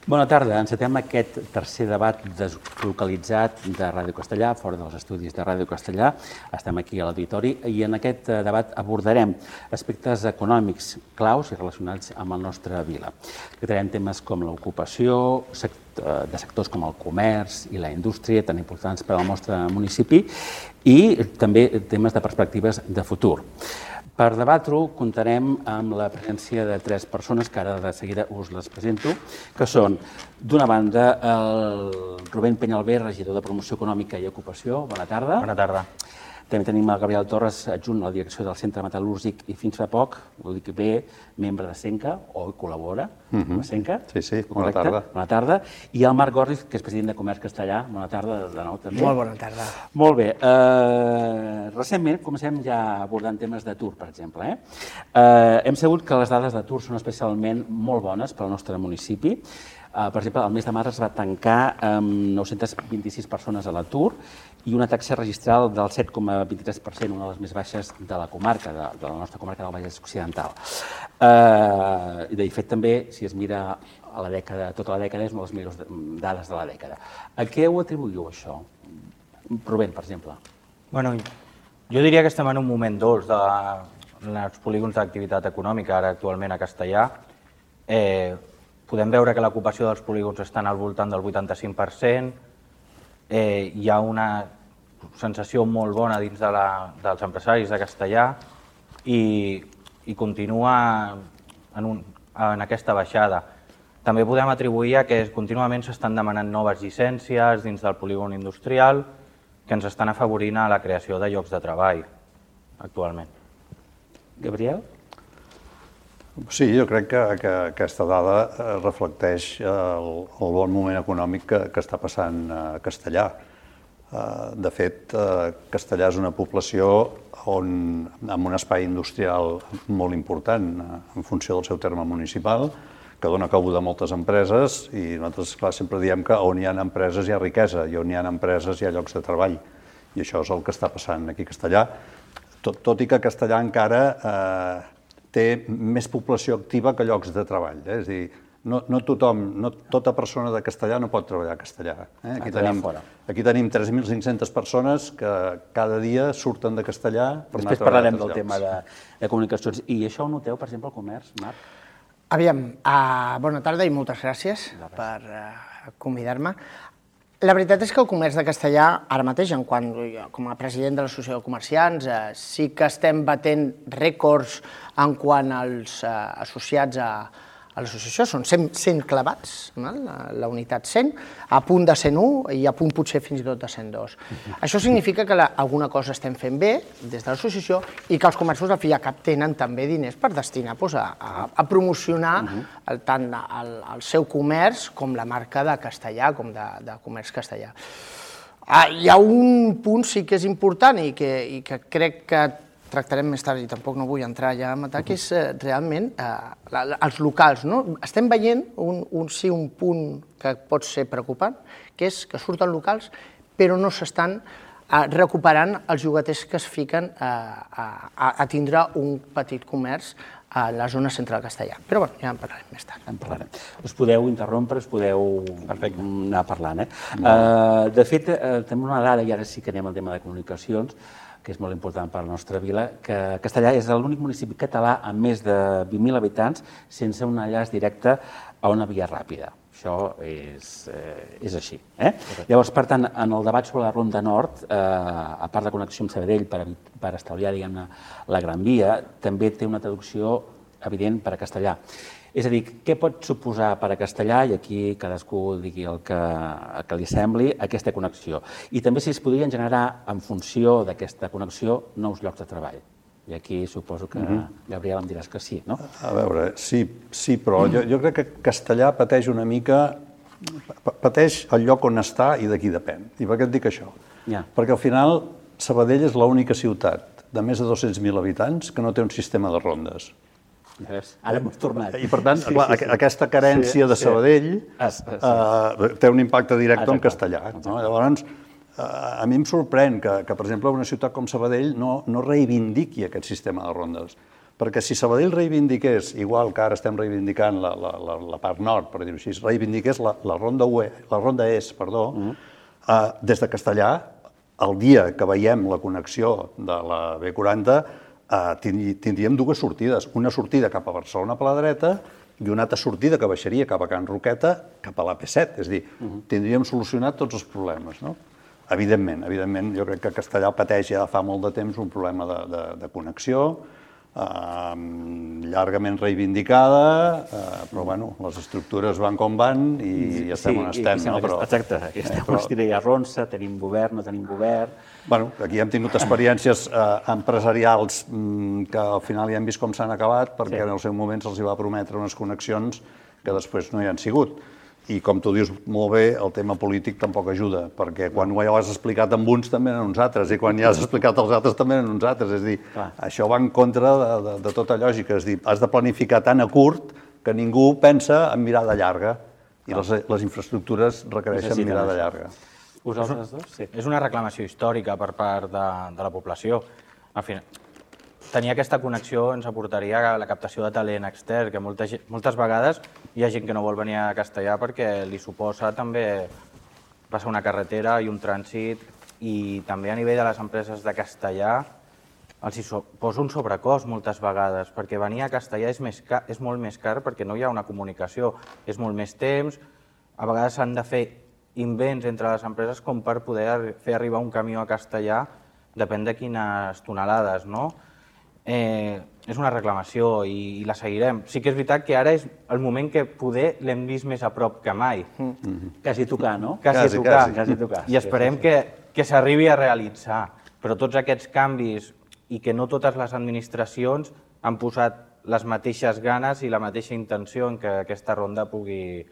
Bona tarda. Encetem aquest tercer debat deslocalitzat de Ràdio Castellà, fora dels estudis de Ràdio Castellà. Estem aquí a l'auditori i en aquest debat abordarem aspectes econòmics claus i relacionats amb la nostra vila. Tractarem temes com l'ocupació, de sectors com el comerç i la indústria, tan importants per al nostre municipi, i també temes de perspectives de futur. Per debatre-ho, comptarem amb la presència de tres persones, que ara de seguida us les presento, que són, d'una banda, el Rubén Peñalver, regidor de Promoció Econòmica i Ocupació. Bona tarda. Bona tarda. També tenim el Gabriel Torres, adjunt a la direcció del Centre Metal·lúrgic i fins fa poc, ho dic bé, membre de Senca, o col·labora amb Senca. Sí, bona tarda. Bona tarda. I el Marc Gorriz, que és president de Comerç Castellà. Bona tarda de nou també. Molt bona tarda. Molt bé. Recentment comencem ja abordant temes d'atur, per exemple. Hem sabut que les dades d'atur són especialment molt bones per al nostre municipi. Per exemple, el mes de març es va tancar amb 926 persones a l'atur i una taxa registral del 7,23%, una de les més baixes de la comarca, de la nostra comarca del Vallès Occidental. I de fet també, si es mira a la dècada, tota la dècada, és una de les millors dades de la dècada. A què ho atribuïu, això? Rubén, per exemple. Bueno, jo diria que estem en un moment dolç dels polígons d'activitat econòmica, ara actualment a Castellà. Podem veure que l'ocupació dels polígons està al voltant del 85%, hi ha una sensació molt bona dins dels empresaris de Castellà i continua en aquesta baixada. També podem atribuir a que contínuament s'estan demanant noves llicències dins del polígon industrial que ens estan afavorint a la creació de llocs de treball actualment. Gabriel? Sí, jo crec que aquesta dada reflecteix el bon moment econòmic que està passant a Castellà. De fet, Castellà és una població amb un espai industrial molt important en funció del seu terme municipal, que dona cabuda a moltes empreses i nosaltres, clar, sempre diem que on hi ha empreses hi ha riquesa i on hi ha empreses hi ha llocs de treball. I això és el que està passant aquí a Castellà, tot i que Castellà encara té més població activa que llocs de treball. És a dir, no tothom, no tota persona de Castellà no pot treballar a Castellà. Aquí tenim 3.500 persones que cada dia surten de Castellà per anar a treballar. Després parlarem del tema de comunicacions. I això ho noteu, per exemple, al comerç, Marc? Aviam, bona tarda i moltes gràcies per convidar-me. La veritat és que el comerç de Castellà, ara mateix, com a president de l'Associació de Comerciants, sí que estem batent rècords en quant als associats a l'associació. Són 100 clavats, la unitat 100, a punt de 101 i a punt potser fins i tot de 102. Això significa que alguna cosa estem fent bé des de l'associació i que els comerços al fi i al cap tenen també diners per destinar a promocionar tant el seu comerç com la marca de Castellà, com de comerç castellà. Hi ha un punt sí que és important i que crec que tractarem més tard i tampoc no vull entrar ja a matar, que és realment els locals. Estem veient un punt que pot ser preocupant, que és que surten locals però no s'estan recuperant els llogaters que es fiquen a tindre un petit comerç a la zona central castellà. Però ja en parlarem més tard. En parlarem. Us podeu interrompre, us podeu anar parlant. De fet, tenim una dada, i ara sí que anem al tema de comunicacions, que és molt important per a la nostra vila, que Castellà és l'únic municipi català amb més de 20.000 habitants sense un enllaç directe a una via ràpida. Això és així. Llavors, per tant, en el debat sobre la Ronda Nord, a part de connexió amb Sabadell per estalviar, diguem-ne, la Gran Via, també té una traducció evident per a Castellà. És a dir, què pot suposar per a Castellà, i aquí cadascú digui el que li sembli, aquesta connexió? I també si es podrien generar, en funció d'aquesta connexió, nous llocs de treball. I aquí suposo que, Gabriel, em diràs que sí, no? A veure, sí, però jo crec que Castellà pateix una mica, pateix el lloc on està i de qui depèn. I per què et dic això? Perquè al final Sabadell és l'única ciutat de més de 200.000 habitants que no té un sistema de rondes. Ara hem tornat. I per tant, aquesta carència de Sabadell té un impacte directe en Castellà. Llavors, a mi em sorprèn que, per exemple, una ciutat com Sabadell no reivindiqui aquest sistema de rondes. Perquè si Sabadell reivindiqués, igual que ara estem reivindicant la part nord, per dir-ho així, reivindiqués la ronda est, des de Castellà, el dia que veiem la connexió de la B40, tindríem dues sortides. Una sortida cap a Barcelona per la dreta i una altra sortida que baixaria cap a Can Roqueta, cap a l'AP7. És a dir, tindríem solucionat tots els problemes, no? Evidentment, jo crec que Castellà pateix ja fa molt de temps un problema de connexió, llargament reivindicada, però bueno, les estructures van com van i estem on estem. Exacte, estem a ronça, tenim govern, no tenim govern. Bueno, aquí hem tingut experiències empresarials que al final ja hem vist com s'han acabat, perquè en el seu moment se'ls va prometre unes connexions que després no hi han sigut. I com tu dius molt bé, el tema polític tampoc ajuda, perquè quan ho has explicat amb uns també en uns altres, i quan ja has explicat als altres també en uns altres. És a dir, això va en contra de tota lògica. És a dir, has de planificar tan a curt que ningú pensa en mirada llarga, i les infraestructures requereixen mirada llarga. Vosaltres dos? Sí. És una reclamació històrica per part de la població. Al final, tenir aquesta connexió ens aportaria a la captació de talent extern, que moltes vegades hi ha gent que no vol venir a Castellà perquè li suposa també passar una carretera i un trànsit, i també a nivell de les empreses de Castellà els hi suposa un sobrecost moltes vegades, perquè venir a Castellà és molt més car perquè no hi ha una comunicació, és molt més temps, a vegades s'han de fer invents entre les empreses com per poder fer arribar un camió a Castellà, depèn de quines tonelades, no? És una reclamació i la seguirem. Sí que és veritat que ara és el moment que poder l'hem vist més a prop que mai. Quasi tocar, no? Quasi tocar. I esperem que s'arribi a realitzar. Però tots aquests canvis i que no totes les administracions han posat les mateixes ganes i la mateixa intenció en que aquesta ronda pugui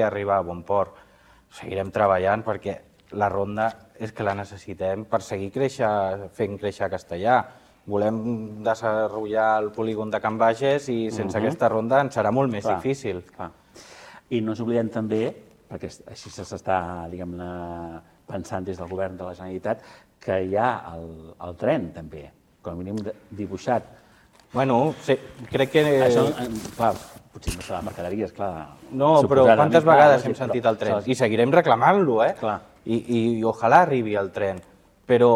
arribar a bon port. Seguirem treballant perquè la ronda és que la necessitem per seguir fent créixer Castellà. Volem desenvolupar el polígon de Can Bages i sense aquesta ronda ens serà molt més difícil. I no ens oblidem també, perquè així s'està pensant des del govern de la Generalitat, que hi ha el tren també, com a mínim dibuixat. Bueno, crec que... Això, clar, potser no serà mercaderies, clar. No, però quantes vegades hem sentit el tren? I seguirem reclamant-lo, eh? I ojalà arribi el tren. Però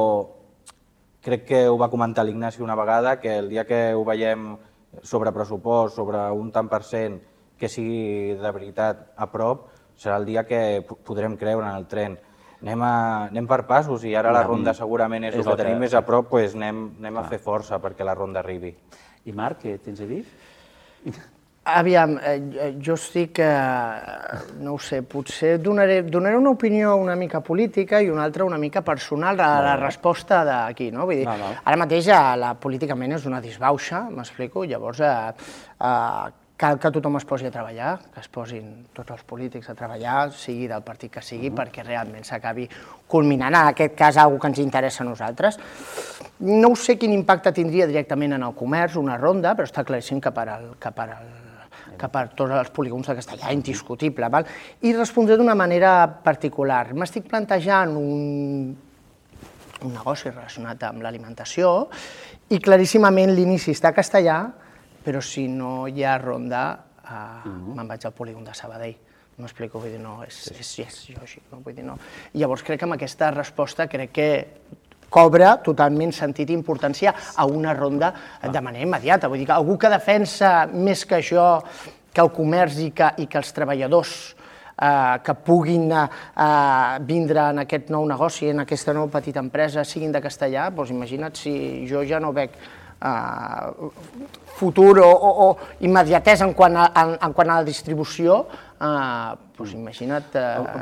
crec que ho va comentar l'Ignasi una vegada, que el dia que ho veiem sobre pressupost, sobre un tant per cent que sigui de veritat a prop, serà el dia que podrem creure en el tren. Anem per passos i ara la ronda segurament és el que tenim més a prop, doncs anem a fer força perquè la ronda arribi. I Marc, què tens a dir? Aviam, jo estic, no ho sé, potser donaré una opinió una mica política i una altra una mica personal a la resposta d'aquí, no? Vull dir, ara mateix políticament és una disbauxa, m'explico, llavors cal que tothom es posi a treballar, que es posin tots els polítics a treballar, sigui del partit que sigui, perquè realment s'acabi culminant, en aquest cas, alguna que ens interessa a nosaltres. No sé quin impacte tindria directament en el comerç, una ronda, però està claríssim que per tots els polígons de Castellà, indiscutible. I respondré d'una manera particular. M'estic plantejant un negoci relacionat amb l'alimentació i claríssimament l'inici està a Castellà, però si no hi ha ronda, me'n vaig al polígon de Sabadell. M'explico, vull dir, no, és lògic, no? Vull dir, no. Llavors crec que amb aquesta resposta crec que cobra totalment sentit i importància a una ronda de manera immediata. Vull dir que algú que defensa més que això, que el comerç i que els treballadors que puguin vindre en aquest nou negoci, en aquesta nova petita empresa, siguin de Castellà, doncs imagina't si jo ja no veig futur o immediatesa en quant a la distribució, doncs imagina't...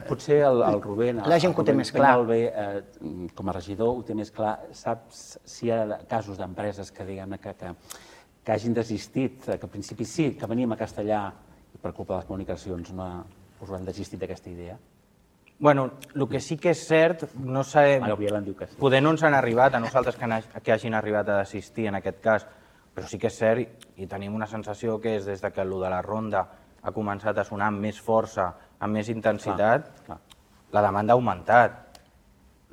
Potser el Rubén, la gent que ho té més clar. Com a regidor ho té més clar. Saps si hi ha casos d'empreses que hagin desistit, que al principi sí, que veníem a Castellà i per culpa de les comunicacions us han desistit d'aquesta idea? Bueno, el que sí que és cert, no sabem... Poder no ens han arribat a nosaltres que hagin arribat a desistir en aquest cas, però sí que és cert i tenim una sensació que és des que el de la ronda ha començat a sonar amb més força, amb més intensitat, la demanda ha augmentat.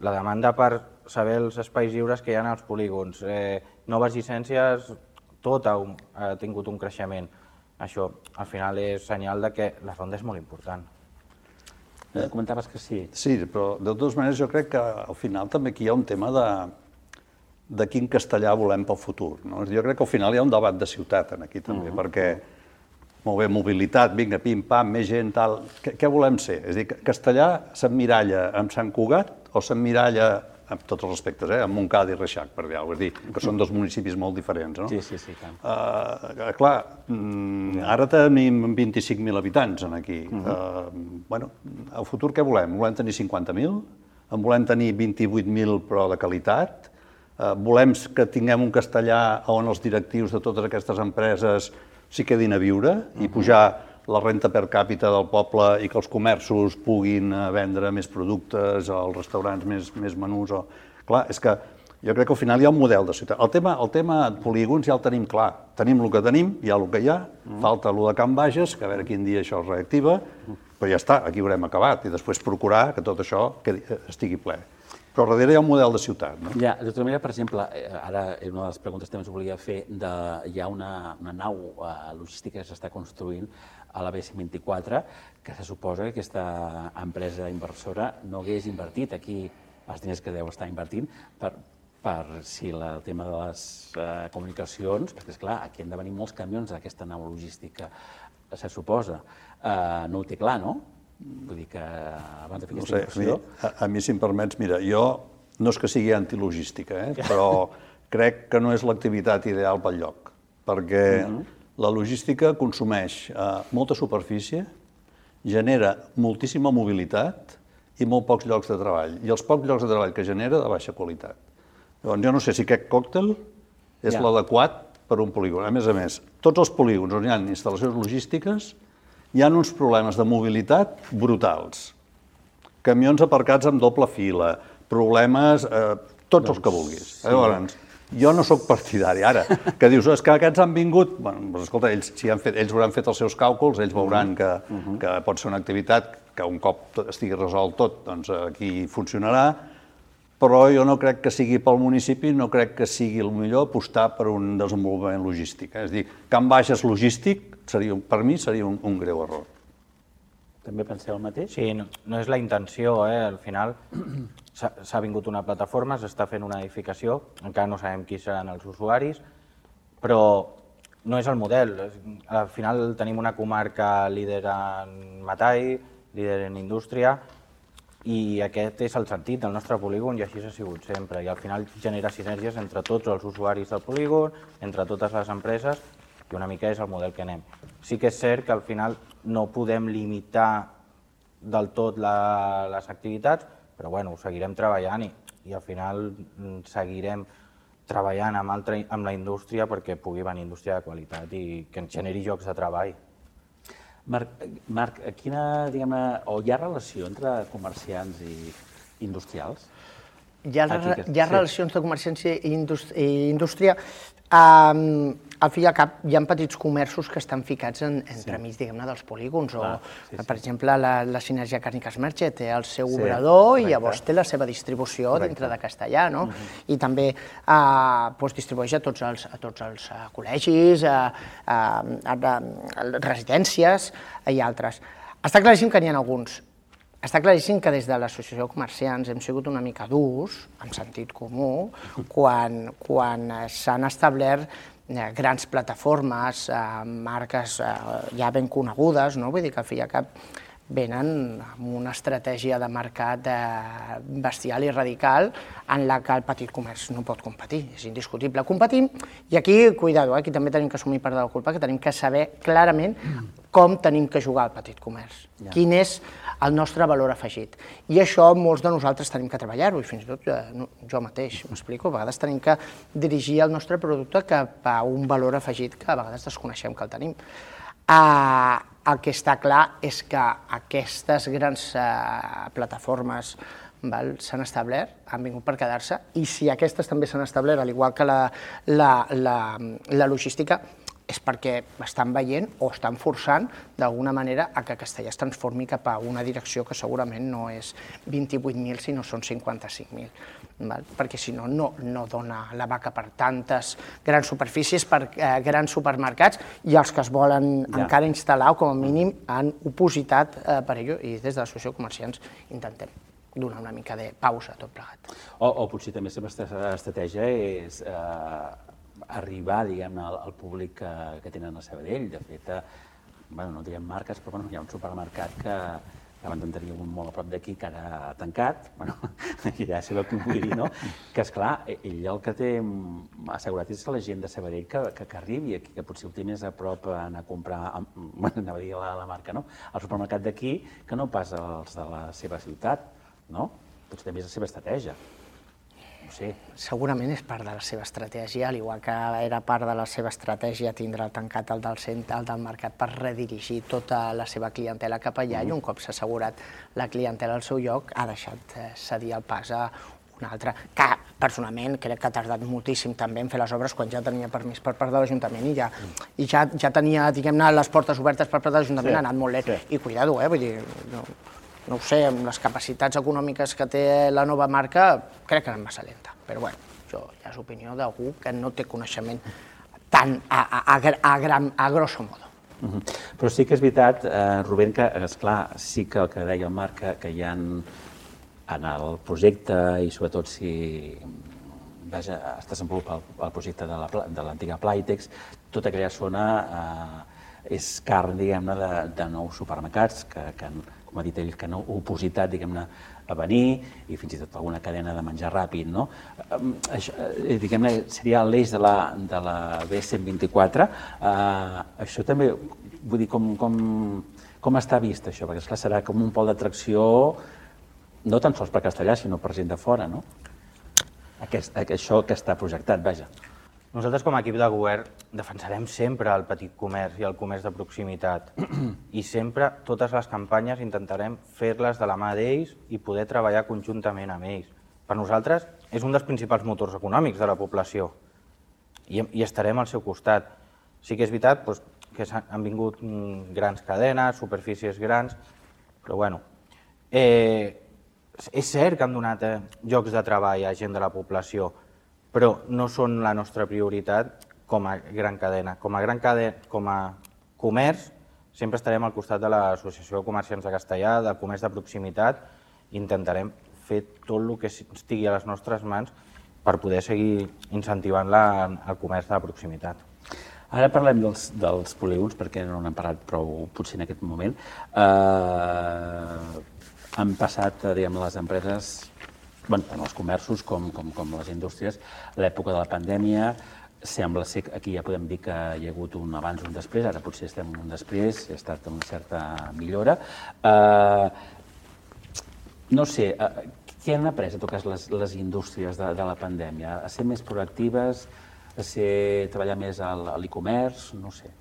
La demanda per saber els espais lliures que hi ha als polígons, noves llicències tot ha tingut un creixement. Això, al final, és senyal de que la ronda és molt important. Comentaves que sí. Sí, però de totes maneres jo crec que al final també aquí hi ha un tema de quin castellà volem pel futur. Jo crec que al final hi ha un debat de ciutat aquí també, perquè, molt bé, mobilitat, vinga, pim-pam, més gent, tal... Què volem ser? És a dir, castellà s'emmiralla amb Sant Cugat o s'emmiralla, amb tots els respectes, amb Montcada i Reixac, per dir alguna cosa, és dir, que són dos municipis molt diferents, no? Sí, tant. Clar, ara tenim 25.000 habitants aquí. Bueno, al futur què volem? Volem tenir 50.000? En volem tenir 28.000 però de qualitat? Volem que tinguem un castellà on els directius de totes aquestes empreses s'hi quedin a viure i pujar la renta per càpita del poble i que els comerços puguin vendre més productes, els restaurants més menús. Clar, és que jo crec que al final hi ha un model de ciutat. El tema polígons ja el tenim clar. Tenim el que tenim, hi ha el que hi ha, falta el de Can Bages, que a veure quin dia això es reactiva, però ja està, aquí haurem acabat, i després procurar que tot això estigui ple. Però darrere hi ha un model de ciutat. Ja, de tota manera, per exemple, ara una de les preguntes que també us volia fer, hi ha una nau logística que s'està construint a la B124, que se suposa que aquesta empresa inversora no hagués invertit aquí els diners que deu estar invertint per si el tema de les comunicacions, perquè, esclar, aquí han de venir molts camions d'aquesta nau logística, se suposa. No ho té clar, no? Vull dir que abans de fer aquesta inversió... A mi, si em permets, mira, jo no és que sigui antilogística, però crec que no és l'activitat ideal pel lloc, perquè la logística consumeix molta superfície, genera moltíssima mobilitat i molt pocs llocs de treball, i els pocs llocs de treball que genera de baixa qualitat. Llavors, jo no sé si aquest còctel és l'adequat per un polígon. A més, tots els polígons on hi ha instal·lacions logístiques hi ha uns problemes de mobilitat brutals. Camions aparcats amb doble fila, problemes, tots els que vulguis. Llavors, jo no sóc partidari. Ara, que dius, és que aquests han vingut... Doncs escolta, ells hauran fet els seus càlculs, ells veuran que pot ser una activitat que un cop estigui resolt tot, doncs aquí funcionarà, però jo no crec que sigui pel municipi, no crec que sigui el millor apostar per un desenvolupament logístic. És a dir, Can Bages logístic, per mi seria un greu error. També penseu el mateix? Sí, no és la intenció, al final s'ha vingut una plataforma, s'està fent una edificació, encara no sabem qui seran els usuaris, però no és el model. Al final tenim una comarca líder en metall, líder en indústria, i aquest és el sentit del nostre polígon i així ha sigut sempre. I al final genera sinergies entre tots els usuaris del polígon, entre totes les empreses, i una mica és el model que anem. Sí que és cert que al final no podem limitar del tot les activitats, però bueno, ho seguirem treballant i al final seguirem treballant amb la indústria perquè pugui venir indústria de qualitat i que ens generi llocs de treball. Marc, quina, diguem-ne, o hi ha relació entre comerciants i industrials? Hi ha relacions de comerciants i indústria. Al fi i al cap hi ha petits comerços que estan ficats entremig, diguem-ne, dels polígons. Per exemple, la Sinergia Càrniques Merche té el seu obrador i llavors té la seva distribució dintre de Castellà, no? I també distribueix a tots els col·legis, residències i altres. Està claríssim que n'hi ha alguns. Està claríssim que des de l'Associació de Comerciants hem sigut una mica durs, en sentit comú, quan s'han establert grans plataformes, marques ja ben conegudes, no? Vull dir que al fi i al cap venen amb una estratègia de mercat bestial i radical en la que el petit comerç no pot competir, és indiscutible. Competim, i aquí, cuidado, aquí també tenim que assumir part de la culpa, que tenim que saber clarament com tenim que jugar al petit comerç, quin és el nostre valor afegit. I això molts de nosaltres tenim que treballar-ho, i fins i tot jo mateix, m'explico, a vegades tenim que dirigir el nostre producte cap a un valor afegit que a vegades desconeixem que el tenim. El que està clar és que aquestes grans plataformes s'han establert, han vingut per quedar-se, i si aquestes també s'han establert, al igual que la logística, és perquè estan veient o estan forçant d'alguna manera a que Castellar es transformi cap a una direcció que segurament no és 28.000, sinó són 55.000. Perquè si no, no dona la vaca per tantes grans superfícies, per grans supermercats, i els que es volen encara instal·lar, o com a mínim han opositat per ello, i des de l'Associació de Comerciants intentem donar una mica de pausa a tot plegat. O potser també la seva estratègia és arribar, diguem-ne, al públic que tenen a Sabadell. De fet, no direm marques, però hi ha un supermercat que abans en tenia un molt a prop d'aquí, que ara ha tancat, ja sabeu què vull dir, no? Que, esclar, ell el que té assegurat és la gent de Sabadell que arribi aquí, que potser ho té més a prop anar a comprar, anava a dir la marca, no? Al supermercat d'aquí, que no pas els de la seva ciutat, no? Potser també és la seva estratègia. No sé. Segurament és part de la seva estratègia, al igual que era part de la seva estratègia tindre tancat el del mercat per redirigir tota la seva clientela cap allà, i un cop s'ha assegurat la clientela al seu lloc, ha deixat cedir el pas a un altre, que personalment crec que ha tardat moltíssim també en fer les obres quan ja tenia permís per part de l'Ajuntament i ja tenia, diguem-ne, les portes obertes per part de l'Ajuntament, ha anat molt lent. I cuidado, vull dir, no ho sé, amb les capacitats econòmiques que té la nova marca, crec que és massa lenta. Però bueno, això ja és opinió d'algú que no té coneixement tan a grosso modo. Però sí que és veritat, Rubén, que, esclar, sí que el que deia el Marc, que hi ha en el projecte, i sobretot si es desenvolupa el projecte de l'antiga Playtex, tota aquella zona és carn, diguem-ne, de nous supermercats que com ha dit ell, que han opositat, diguem-ne, a venir, i fins i tot alguna cadena de menjar ràpid, no? Diguem-ne, seria l'eix de la B124. Això també, vull dir, com està vist això? Perquè, esclar, serà com un pol d'atracció, no tan sols per Castellar, sinó per gent de fora, no? Això que està projectat, vaja. Nosaltres, com a equip de govern, defensarem sempre el petit comerç i el comerç de proximitat. I sempre, totes les campanyes, intentarem fer-les de la mà d'ells i poder treballar conjuntament amb ells. Per nosaltres, és un dels principals motors econòmics de la població i estarem al seu costat. Sí que és veritat que han vingut grans cadenes, superfícies grans, però bueno, és cert que han donat llocs de treball a gent de la població, però no són la nostra prioritat com a gran cadena. Com a comerç, sempre estarem al costat de l'Associació de Comerciants de Castellar, del comerç de proximitat, i intentarem fer tot el que estigui a les nostres mans per poder seguir incentivant el comerç de proximitat. Ara parlem dels polígons, perquè no n'hem parlat prou potser en aquest moment. Han passat, diguem, les empreses, tant els comerços com les indústries, l'època de la pandèmia. Sembla ser que aquí ja podem dir que hi ha hagut un abans i un després, ara potser estem en un després, ha estat una certa millora. No sé, què han après, en tot cas, les indústries de la pandèmia? A ser més proactives, a treballar més a l'e-commerce, no sé.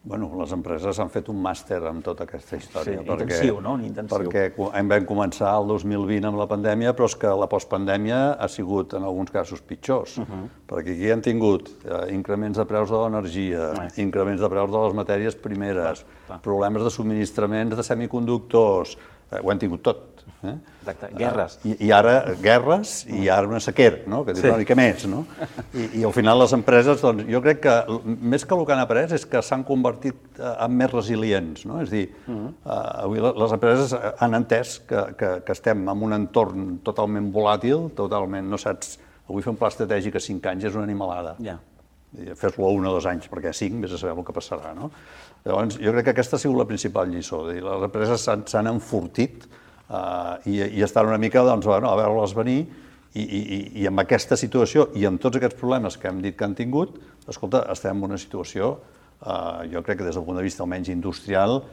Bueno, les empreses han fet un màster amb tota aquesta història. Sí, intensiu, no? Intensiu. Perquè vam començar el 2020 amb la pandèmia, però és que la postpandèmia ha sigut, en alguns casos, pitjors. Perquè aquí hem tingut increments de preus de l'energia, increments de preus de les matèries primeres, problemes de subministraments de semiconductors, ho hem tingut tot. Exacte, guerres. I ara guerres i ara una sequera, que dius una mica més. I al final les empreses, jo crec que més que el que han après és que s'han convertit en més resilients. És a dir, avui les empreses han entès que estem en un entorn totalment volàtil, totalment, no saps, avui fer un pla estratègic a 5 anys és una animalada. Fes-lo a 1 o 2 anys, perquè a 5 vés a saber el que passarà. Llavors, jo crec que aquesta ha sigut la principal lliçó. Les empreses s'han enfortit i estan una mica a veure-les venir, i amb aquesta situació i amb tots aquests problemes que hem dit que han tingut, escolta, estem en una situació, jo crec que des del punt de vista almenys industrial,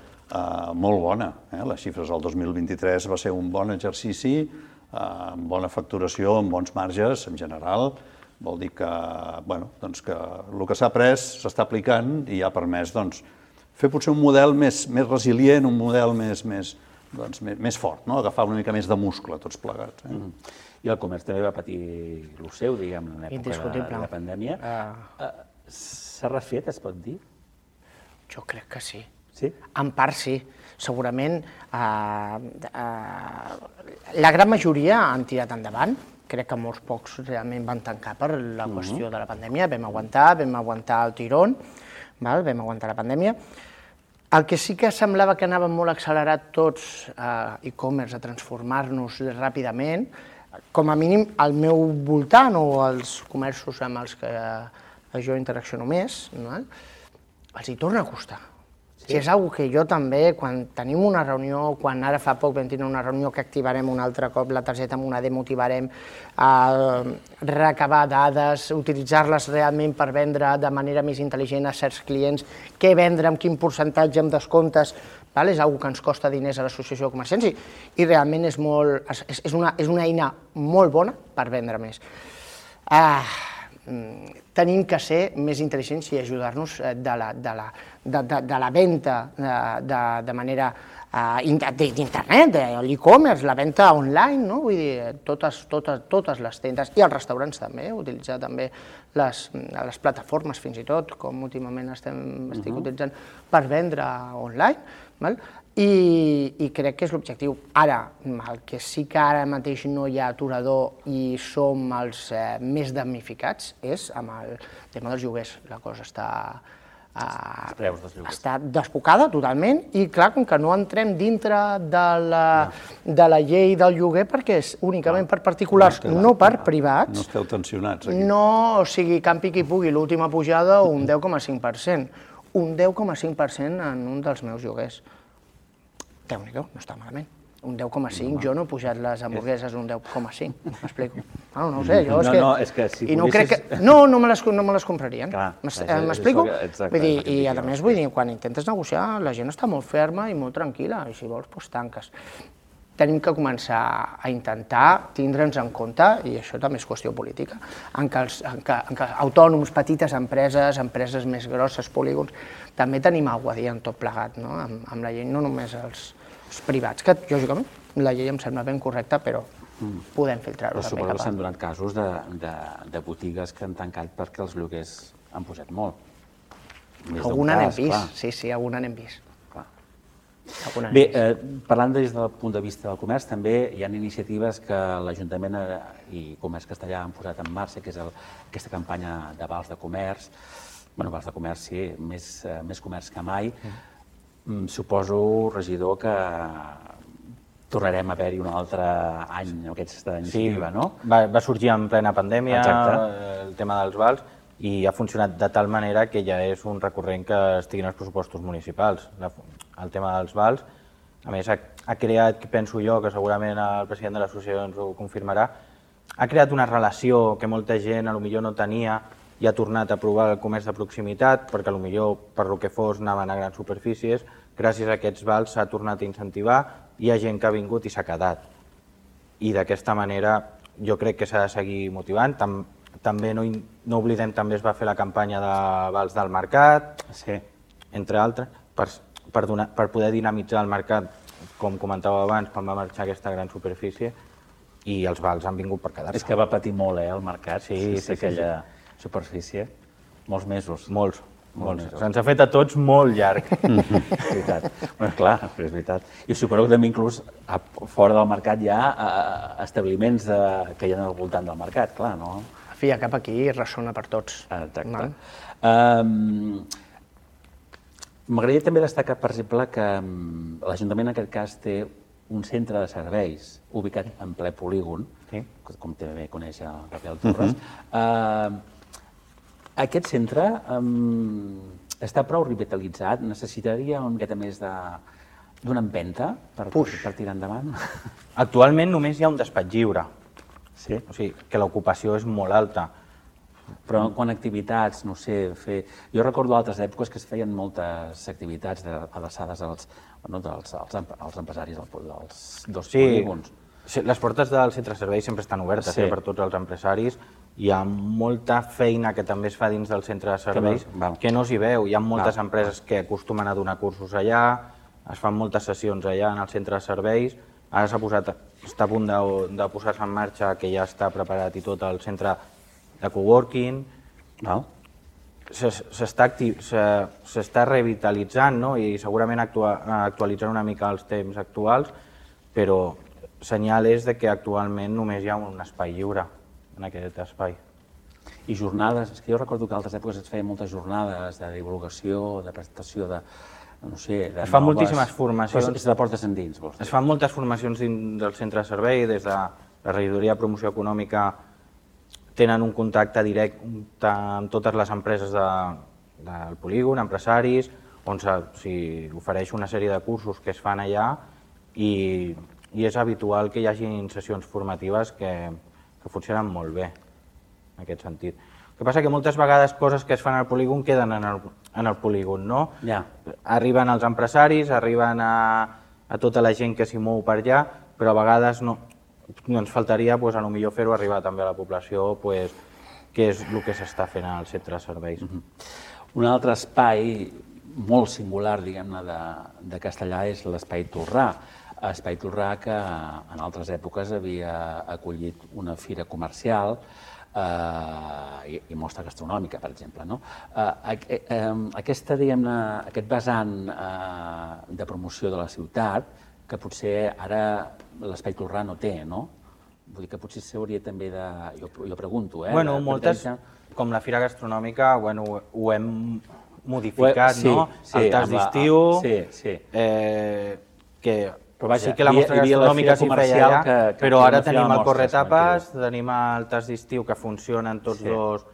molt bona. Les xifres del 2023 va ser un bon exercici, amb bona facturació, amb bons marges en general. Vol dir que el que s'ha après s'està aplicant i ha permès fer potser un model més resilient, un model més fort, agafar una mica més de muscle tots plegats. I el comerç també va patir el seu, diguem, en l'època de la pandèmia. S'ha refet, es pot dir? Jo crec que sí. Sí? En part sí. Segurament la gran majoria han tirat endavant. Crec que molts pocs realment van tancar per la qüestió de la pandèmia. Vam aguantar el tirón, vam aguantar la pandèmia. El que sí que semblava que anàvem molt accelerat tots e-commerce a transformar-nos ràpidament, com a mínim al meu voltant o als comerços amb els que jo interacciono més, els hi torna a costar. Sí. És una que jo també, quan tenim una reunió, quan ara fa poc vam tenir una reunió que activarem un altre cop la targeta Moneder, motivarem a recabar dades, utilitzar-les realment per vendre de manera més intel·ligent a certs clients, què vendre, amb quin percentatge, amb descomptes, és una que ens costa diners a l'associació de comerciants i realment és una eina molt bona per vendre més. Tenim que ser més intel·ligents i ajudar-nos de la venda de manera d'internet, de l'e-commerce, la venda online, vull dir, totes les tendes i els restaurants també, utilitzar també les plataformes fins i tot, com últimament estic utilitzant per vendre online, i crec que és l'objectiu. Ara, el que sí que ara mateix no hi ha aturador i som els més damnificats és amb el tema dels lloguers. La cosa està desbocada totalment i, clar, com que no entrem dintre de la llei del lloguer perquè és únicament per particulars, no per privats. No esteu tensionats aquí. No, o sigui, campi qui pugui, l'última pujada un 10,5%. Un 10,5% en un dels meus lloguers. Déu-n'hi-do, no està malament. Un 10,5, jo no he pujat les hamburgueses un 10,5, m'explico. No ho sé, jo és que si poguessis... No me les comprarien, m'explico? I a més, vull dir, quan intentes negociar, la gent està molt ferma i molt tranquil·la, i si vols, doncs tanques. Tenim que començar a intentar tindre'ns en compte, i això també és qüestió política, en què autònoms, petites empreses, empreses més grosses, polígons, també tenim alguna cosa a dir en tot plegat, amb la llei, no només els privats, que lògicament la llei em sembla ben correcta, però podem filtrar-ho. Però suposo que s'han donat casos de botigues que han tancat perquè els lloguers han pujat molt. Alguna n'hem vist, sí, alguna n'hem vist. Bé, parlant des del punt de vista del comerç, també hi ha iniciatives que l'Ajuntament i Comerç Castellà han posat en marxa, que és aquesta campanya de vals de comerç. Bé, vals de comerç, sí, més comerç que mai. Suposo, regidor, que tornarem a haver-hi un altre any amb aquesta iniciativa, no? Va sorgir en plena pandèmia el tema dels vals i ha funcionat de tal manera que ja és un recurrent que estigui en els pressupostos municipals. El tema dels vals, a més, ha creat, penso jo, que segurament el president de l'associació ens ho confirmarà, ha creat una relació que molta gent potser no tenia i ha tornat a provar el comerç de proximitat, perquè potser per lo que fos anaven a grans superfícies, gràcies a aquests vals s'ha tornat a incentivar, hi ha gent que ha vingut i s'ha quedat. I d'aquesta manera jo crec que s'ha de seguir motivant. També no oblidem, també es va fer la campanya de vals del mercat, entre altres, per poder dinamitzar el mercat, com comentava abans, quan va marxar aquesta gran superfície, i els vals han vingut per quedar-se. És que va patir molt, el mercat, aquella superfície, molts mesos. Molts. Se'ns ha fet a tots molt llarg. És veritat. Bé, clar, és veritat. I suposo que també inclús fora del mercat hi ha establiments que hi ha al voltant del mercat, clar, no? En fi, cap aquí ressona per tots. Exacte. M'agradaria també destacar, per exemple, que l'Ajuntament en aquest cas té un centre de serveis ubicat en ple polígon, com també coneix el Gabriel Torres. Aquest centre està prou revitalitzat, necessitaria una miqueta més d'una empenta per tirar endavant? Actualment només hi ha un despatx lliure, o sigui que l'ocupació és molt alta. Però quan activitats, no sé, jo recordo altres èpoques que es feien moltes activitats adreçades als empresaris dels dos polígons. Les portes del centre de serveis sempre estan obertes per tots els empresaris. Hi ha molta feina que també es fa dins del centre de serveis que no s'hi veu. Hi ha moltes empreses que acostumen a donar cursos allà, es fan moltes sessions allà en el centre de serveis. Ara està a punt de posar-se en marxa, que ja està preparat i tot, el centre de coworking. s'està revitalitzant, no? I segurament actualitzant una mica els temps actuals, però senyal és de que actualment només hi ha un espai lliure en aquest espai. I jornades, és que jo recordo que a altres èpoques es feien moltes jornades de divulgació, de presentació de, no sé, de es fan moltíssimes formacions. Però és de portes endins, vols dir? Es fan moltes formacions dins del centre de servei, des de la regidoria de promoció econòmica tenen un contacte directe amb totes les empreses del polígon, empresaris, on s'hi ofereix una sèrie de cursos que es fan allà i és habitual que hi hagi sessions formatives que funcionen molt bé en aquest sentit. El que passa que moltes vegades coses que es fan al polígon queden en el polígon, no? Ja. Arriben els empresaris, arriben a tota la gent que s'hi mou per allà, però a vegades no ens faltaria a lo millor fer-ho arribar també a la població, què és el que s'està fent al centre de serveis. Un altre espai molt singular, diguem-ne, de Castellar és l'espai Tolrà. Espai Tolrà que en altres èpoques havia acollit una fira comercial i mostra gastronòmica, per exemple. Aquest vessant de promoció de la ciutat, que potser ara l'Espai Tolrà no té, no? Vull dir que potser s'hauria també de... Jo pregunto, Bueno, moltes, com la fira gastronòmica, ho hem modificat, no? El tas d'estiu, que sí que la mostra gastronòmica s'hi feia allà, però ara tenim el corretapes, tenim el tas d'estiu que funcionen tots dos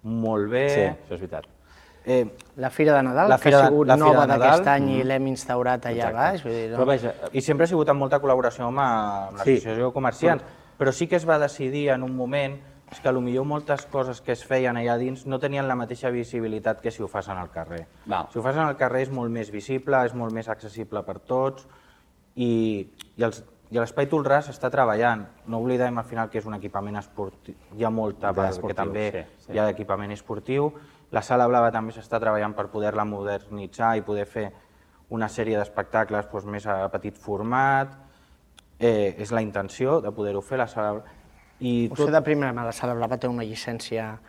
molt bé. Sí, això és veritat. La Fira de Nadal, que ha sigut nova d'aquest any i l'hem instaurat allà baix. I sempre ha sigut amb molta col·laboració amb l'Associació de Comerciants, però sí que es va decidir en un moment que potser moltes coses que es feien allà dins no tenien la mateixa visibilitat que si ho fas al carrer. Si ho fas al carrer és molt més visible, és molt més accessible per tots i l'Espai Tolrà s'està treballant. No oblidem al final que és un equipament esportiu, hi ha molta part que també hi ha d'equipament esportiu. La Sala Blava també s'està treballant per poder-la modernitzar i poder fer una sèrie d'espectacles més a petit format. És la intenció de poder-ho fer, la Sala Blava. Potser de primera mà la Sala Blava té una llicència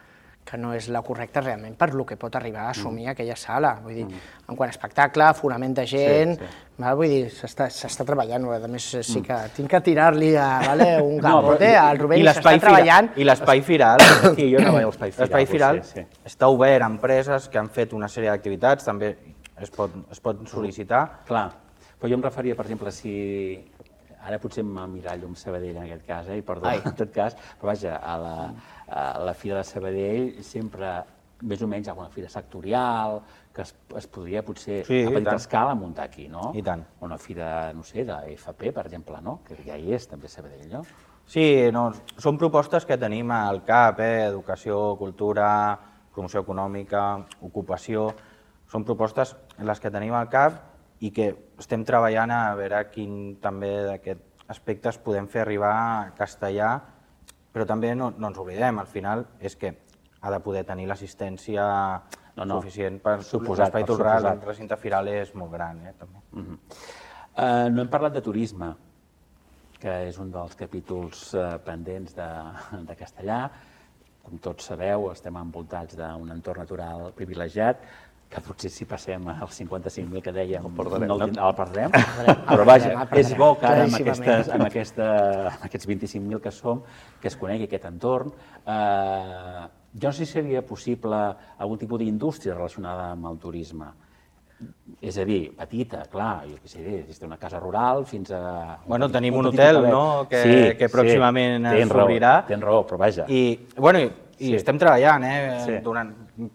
que no és la correcta realment per lo que pot arribar a assumir aquella sala. Vull dir, en quant a espectacle, fonament de gent, vull dir, s'està treballant. A més, sí que tinc que tirar-li un capote al Rubén i s'està treballant. I l'Espai Firal, jo no veig l'Espai Firal està obert a empreses que han fet una sèrie d'activitats, també es pot sol·licitar. Clar, però jo em referia, per exemple, si... Ara potser m'emmirallo amb Sabadell en aquest cas, i perdó, en tot cas, però vaja, a la Fira de Sabadell sempre, més o menys, hi ha una fira sectorial que es podria potser a petita escala muntar aquí, no? I tant. Una fira, no sé, de FP, per exemple, no? Que ja hi és també a Sabadell, no? Sí, són propostes que tenim al CAP, educació, cultura, promoció econòmica, ocupació, són propostes en les que tenim al CAP i que estem treballant a veure quin també d'aquests aspectes podem fer arribar a Castellar, però també no ens oblidem, al final és que ha de poder tenir l'assistència suficient per l'Espai Tolrà, el recinte firal és molt gran. No hem parlat de turisme, que és un dels capítols pendents de Castellar. Com tots sabeu, estem envoltats d'un entorn natural privilegiat, que potser si passem als 55.000 que dèiem el perdrem, però vaja, és bo que ara amb aquests 25.000 que som, que es conegui aquest entorn. Jo no sé si seria possible algun tipus d'indústria relacionada amb el turisme. És a dir, petita, clar, jo què sé, des d'una casa rural fins a... Bueno, tenim un hotel, no?, que pròximament s'obrirà. Tens raó, però vaja. I estem treballant,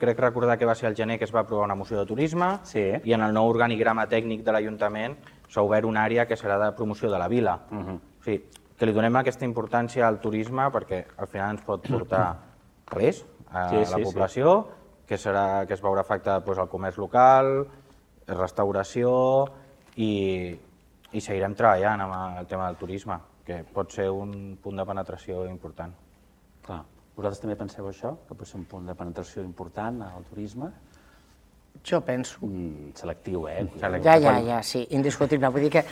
crec recordar que va ser al gener que es va aprovar una moció de turisme i en el nou organigrama tècnic de l'Ajuntament s'ha obert una àrea que serà de promoció de la vila. O sigui, que li donem aquesta importància al turisme perquè al final ens pot portar res a la població, que es veurà afectat el comerç local, restauració i seguirem treballant amb el tema del turisme, que pot ser un punt de penetració important. Clar. Vosaltres també penseu això, que pot ser un punt de penetració important al turisme? Jo penso. Selectiu, Ja, sí, indiscutible. Vull dir que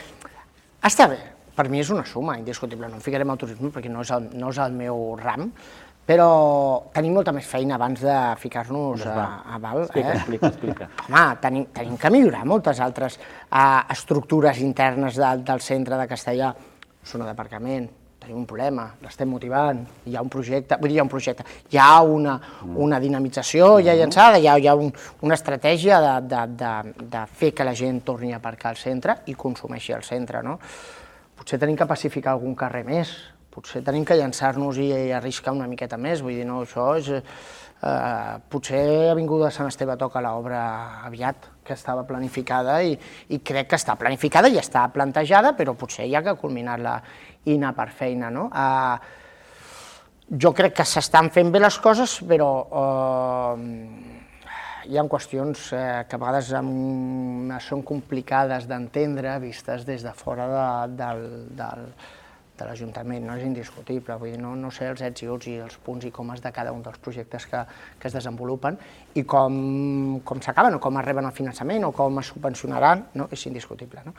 està bé, per mi és una suma indiscutible. No em ficarem al turisme perquè no és el meu ram, però tenim molta més feina abans de ficar-nos a val. Explica. Home, tenim que millorar moltes altres estructures internes del centre de Castellar. Zona d'aparcament, tenim un problema, l'estem motivant, hi ha un projecte, hi ha una dinamització ja llançada, hi ha una estratègia de fer que la gent torni a aparcar al centre i consumeixi al centre, no? Potser tenim que pacificar algun carrer més, potser tenim que llançar-nos i arriscar una miqueta més, vull dir, no, això és... Potser Avinguda Sant Esteve toca l'obra aviat, que estava planificada i crec que està planificada i està plantejada, però potser hi ha que culminar-la i anar per feina, no? Jo crec que s'estan fent bé les coses, però hi ha qüestions que a vegades són complicades d'entendre, vistes des de fora de l'Ajuntament, no és indiscutible, vull dir, no sé els ets i uts i els punts i comes de cada un dels projectes que es desenvolupen i com s'acaben o com es reben el finançament o com es subvencionaran, no? És indiscutible, no?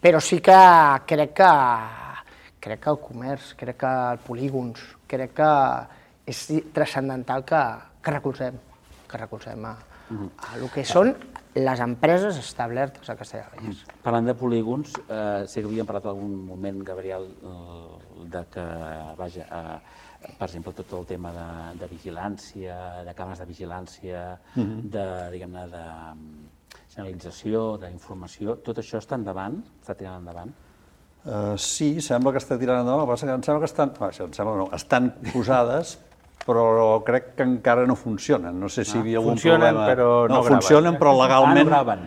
Però sí que crec que el comerç, crec que els polígons, crec que és transcendental que recolzem el que són les empreses establertes a Castellar del Vallès. Parlant de polígons, sé que havíem parlat en algun moment, Gabriel, de que, vaja, per exemple, tot el tema de vigilància, de càmeres de vigilància, de, diguem-ne, de senyalització, d'informació, tot això està endavant? Està tirant endavant? Sí, sembla que està tirant endavant, el que passa que em sembla que estan posades, però crec que encara no funcionen. No sé si hi havia algun problema. Però no graven. Funcionen, però legalment... no graven.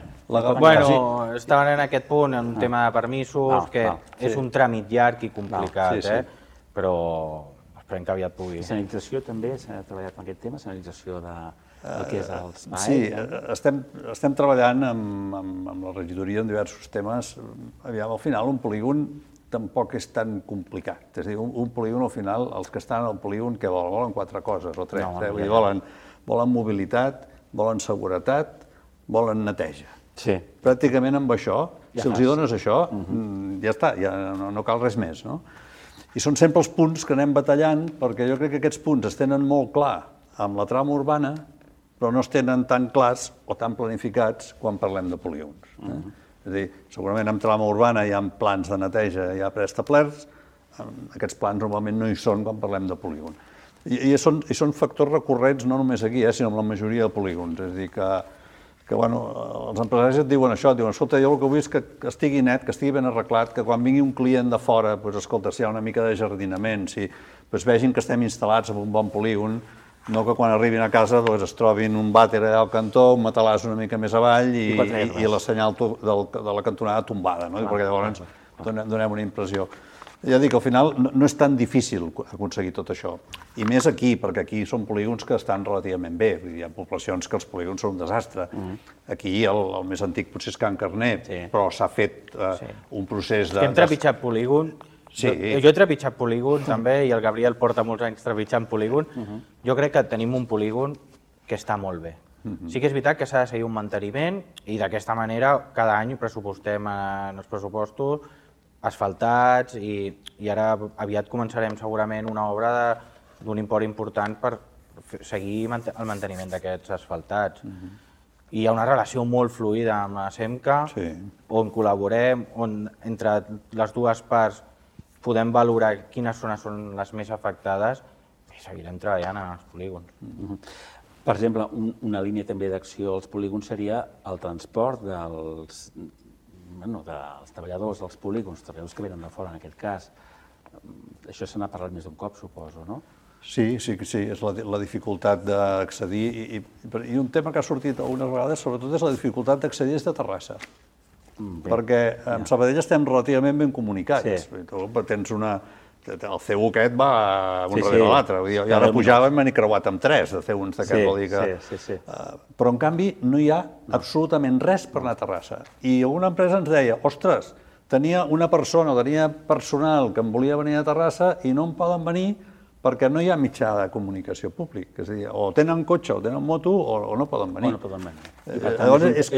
Bueno, estaven en aquest punt, en un tema de permisos, que és un tràmit llarg i complicat, però esperem que aviat pugui. Senyalització també, s'ha treballat en aquest tema, senyalització del que és els BAE? Sí, estem treballant amb la regidoria en diversos temes. Aviam, al final, un polígon tampoc és tan complicat. És a dir, un polígon, al final, els que estan al polígon, què volen? Volen 4 coses, o 3. Volen mobilitat, volen seguretat, volen neteja. Sí. Pràcticament amb això, si els dones això, ja està, ja no cal res més, no? I són sempre els punts que anem batallant, perquè jo crec que aquests punts es tenen molt clar amb la trama urbana, però no es tenen tan clars o tan planificats quan parlem de polígons. És a dir, segurament en trama urbana hi ha plans de neteja ja preestablerts, aquests plans normalment no hi són quan parlem de polígon. I són factors recurrents no només aquí, sinó en la majoria de polígons. És a dir, que els empresaris et diuen això, et diuen, escolta, jo el que vull és que estigui net, que estigui ben arreglat, que quan vingui un client de fora, escolta, si hi ha una mica de jardinament, si vegin que estem instal·lats en un bon polígon, no que quan arribin a casa es trobin un vàter allà al cantó, un matalàs una mica més avall i la senyal de la cantonada tombada, perquè llavors donem una impressió. Ja dic, al final no és tan difícil aconseguir tot això, i més aquí, perquè aquí són polígons que estan relativament bé, hi ha poblacions que els polígons són un desastre. Aquí el més antic potser és Can Carner, però s'ha fet un procés de... Hem trepitjat polígon. Jo he trepitjat polígon també, i el Gabriel porta molts anys trepitjant polígon. Jo crec que tenim un polígon que està molt bé. Sí que és veritat que s'ha de seguir un manteniment i d'aquesta manera cada any pressupostem en els pressupostos asfaltats i ara aviat començarem segurament una obra d'un import important per seguir el manteniment d'aquests asfaltats. I hi ha una relació molt fluida amb la SEMCA, on col·laborem, on entre les dues parts podem valorar quines zones són les més afectades i seguirem treballant en els polígons. Per exemple, una línia també d'acció als polígons seria el transport dels treballadors dels polígons, treballadors que venen de fora en aquest cas. Això se n'ha parlat més d'un cop, suposo, no? Sí, és la dificultat d'accedir, i un tema que ha sortit algunes vegades, sobretot és la dificultat d'accedir des de Terrassa. Perquè amb Sabadell estem relativament ben comunicats. Tens el C1 aquest va un darrere l'altre, i ara pujàvem i m'he creuat amb 3 de C1s d'aquest, vol dir que... Però en canvi no hi ha absolutament res per anar a Terrassa. I alguna empresa ens deia, ostres, tenia una persona o tenia personal que em volia venir a Terrassa i no en poden venir perquè no hi ha mitjà de comunicació públic. És a dir, o tenen cotxe o tenen moto o no poden venir. Llavors és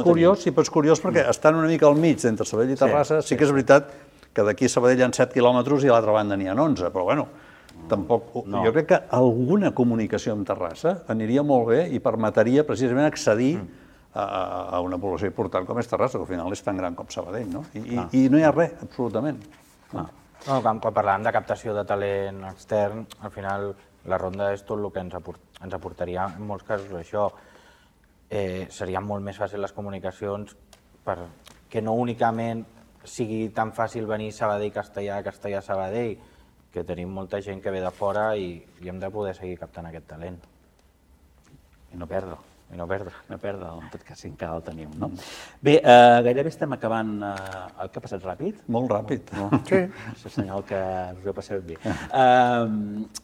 curiós, però és curiós perquè estan una mica al mig entre Sabadell i Terrassa. Sí que és veritat que d'aquí a Sabadell hi ha 7 quilòmetres i a l'altra banda n'hi ha 11, però bueno, tampoc... Jo crec que alguna comunicació amb Terrassa aniria molt bé i permetria precisament accedir a una població important com és Terrassa, que al final és tan gran com Sabadell, no? I no hi ha res, absolutament. No, quan parlàvem de captació de talent extern, al final la ronda és tot el que ens aportaria en molts casos això. Serien molt més fàcils les comunicacions perquè no únicament sigui tan fàcil venir Sabadell-Castellà, Castellà-Sabadell, que tenim molta gent que ve de fora i hem de poder seguir captant aquest talent. I no perdre. No perdre, en tot cas, encara el tenim, no? Bé, gairebé estem acabant. El que ha passat ràpid? Molt ràpid. Sí. És senyal que us ho heu passat bé.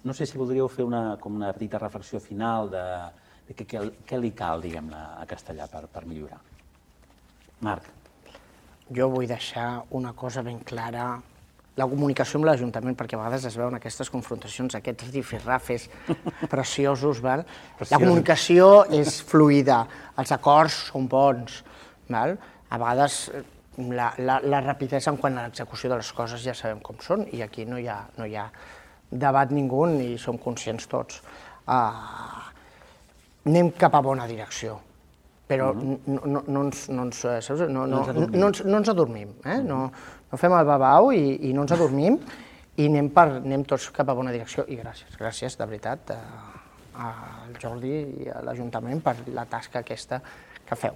No sé si voldríeu fer una petita reflexió final de què li cal, diguem-ne, a Castellà per millorar. Marc. Jo vull deixar una cosa ben clara. La comunicació amb l'Ajuntament, perquè a vegades es veuen aquestes confrontacions, aquests rifirrafes preciosos. La comunicació és fluida, els acords són bons. A vegades la rapidesa en quant a l'execució de les coses ja sabem com són i aquí no hi ha debat ningú i som conscients tots. Anem cap a bona direcció, però no ens adormim. No fem el babau i no ens adormim i anem tots cap a bona direcció. I gràcies de veritat al Jordi i a l'Ajuntament per la tasca aquesta que feu.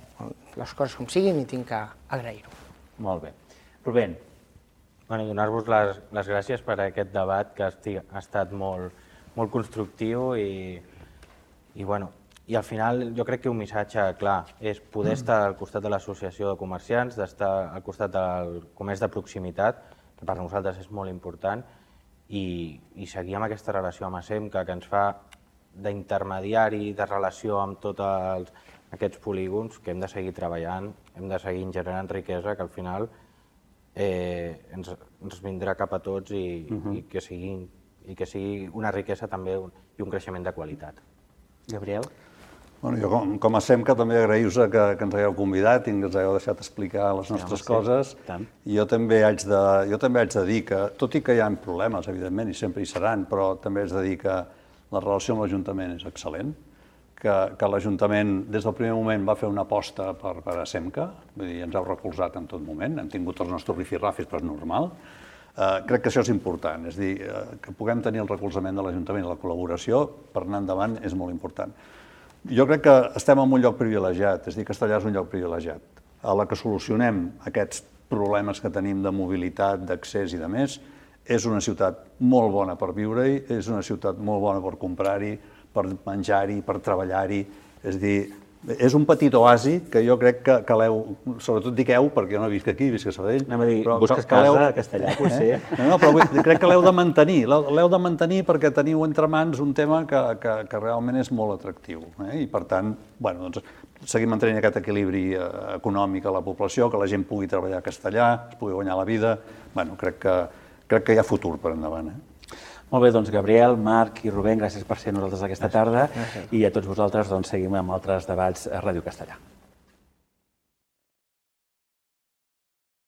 Les coses com siguin i tinc que agrair-ho. Molt bé. Rubén. Donar-vos les gràcies per aquest debat que ha estat molt constructiu i al final jo crec que un missatge clar és poder estar al costat de l'associació de comerciants, d'estar al costat del comerç de proximitat, que per nosaltres és molt important, i seguir amb aquesta relació amb ASEMCA que ens fa d'intermediari, de relació amb tots aquests polígons, que hem de seguir treballant, hem de seguir generant riquesa, que al final ens vindrà cap a tots i que sigui una riquesa també i un creixement de qualitat. Gabriel? Jo, com a SEMCA, també agraïu-vos que ens hagueu convidat i que ens hagueu deixat explicar les nostres coses. Jo també haig de dir que, tot i que hi ha problemes, evidentment, i sempre hi seran, però també haig de dir que la relació amb l'Ajuntament és excel·lent, que l'Ajuntament des del primer moment va fer una aposta per a SEMCA, vull dir, ens heu recolzat en tot moment, hem tingut els nostres rifirrafis, però és normal. Crec que això és important, és a dir, que puguem tenir el recolzament de l'Ajuntament i la col·laboració per anar endavant és molt important. Jo crec que estem en un lloc privilegiat, és a dir, Castellà és un lloc privilegiat. A la que solucionem aquests problemes que tenim de mobilitat, d'accés i de més, és una ciutat molt bona per viure-hi, és una ciutat molt bona per comprar-hi, per menjar-hi, per treballar-hi, és a dir, és un petit oasi que jo crec que l'heu, sobretot dic heu, perquè jo no visc aquí, visc a Sabadell. Anem a dir, busques casa a Castellà, potser. No, però crec que l'heu de mantenir perquè teniu entre mans un tema que realment és molt atractiu. I per tant, seguim mantenint aquest equilibri econòmic a la població, que la gent pugui treballar a Castellà, es pugui guanyar la vida. Crec que hi ha futur per endavant. Molt bé, doncs Gabriel, Marc i Rubén, gràcies per ser nosaltres aquesta tarda i a tots vosaltres seguim amb altres debats a Ràdio Castellà.